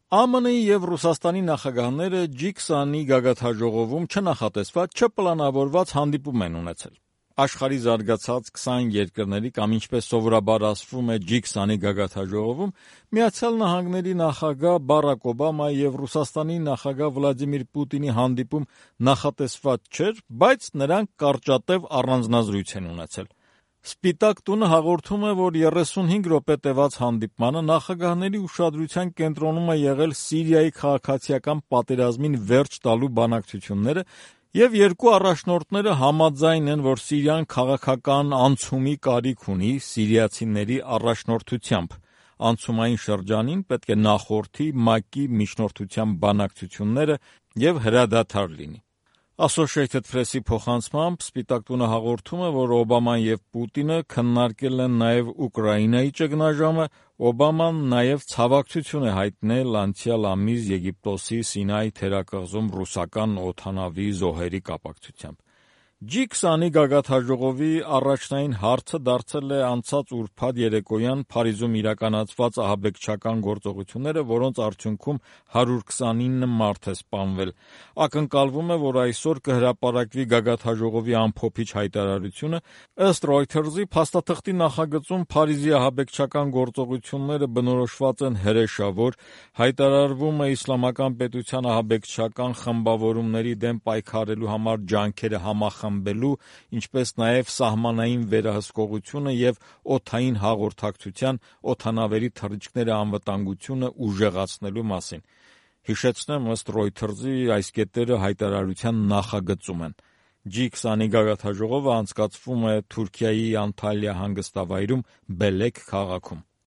ԱՄՆ-ի եւ Ռուսաստանի նախագահները G20-ի գագաթնաժողովում չնախատեսված, չպլանավորված հանդիպում են ունեցել։ Աշխարհի զարգացած 20 երկրների կամ ինչպես սովորաբար ասվում է G20-ի գագաթնաժողովում Միացյալ Նահանգների նախագահ Բարակ Օբամայի եւ Ռուսաստանի նախագահ Վլադիմիր Պուտինի հանդիպում նախատեսված չէր, բայց նրանք կարճատև առանձնազրույց են ունեցել։ Սպիտակ տունը հաղորդում է, որ 35 րոպե տևած հանդիպմանը նախագահների ուշադրության կենտրոնում է եղել Սիրիայի քաղաքացիական պատերազմին վերջ տալու բանակցությունները, եւ երկու առաջնորդները համաձայն են, որ Սիրիան քաղաքական անցումի կարիք ունի սիրիացիների առաջնորդությամբ։ Անցումային շրջանին պետք է նախորդի ՄԱԿ-ի միջնորդությամբ բանակցությունները եւ հրադադար լինի։ Associated Press-ի փոխանցմամբ Սպիտակ տունը հաղորդում է, որ Օբաման եւ Պուտինը քննարկել են նաեւ Ուկրաինայի ճգնաժամը, Օբաման նաեւ ցավակցություն է հայտնել անցյալ ամիս Եգիպտոսի Սինայի թերակղզում ռուսական օդանավի զոհերի կապակցությամբ։ G20-ի գագաթնաժողովի առաջնային հարցը դարձել է անցած ուրբաթ երեկոյան Փարիզում իրականացված ահաբեկչական գործողությունները, որոնց արդյունքում 129 մարդ է սպանվել։ Ակնկալվում է, որ այսօր կհրապարակվի գագաթնաժողովի ամփոփիչ հայտարարությունը։ Ըստ Reuters-ի փաստաթղթի նախագծում Փարիզի ահաբեկչական գործողությունները բնորոշված են հրեշավոր, հայտարարվում է իսլամական պետության ահաբեկչական խմբավորումների դեմ պայքարելու համար ջանքերը համախմբելու, ինչպես նաև սահմանային վերահսկողությունը եւ օդային հաղորդակցության, օդանավերի թռիչքները անվտանգությունը ուժեղացնելու մասին։ Հիշեցնեմ, ըստ Reuters-ի այս կետերը հայտարարության նախագծում են։ G20-ի գագաթնաժողովը անցկացվում է Թուրքիայի Անտալիա հանգստավայրում Բելեք քաղաքում։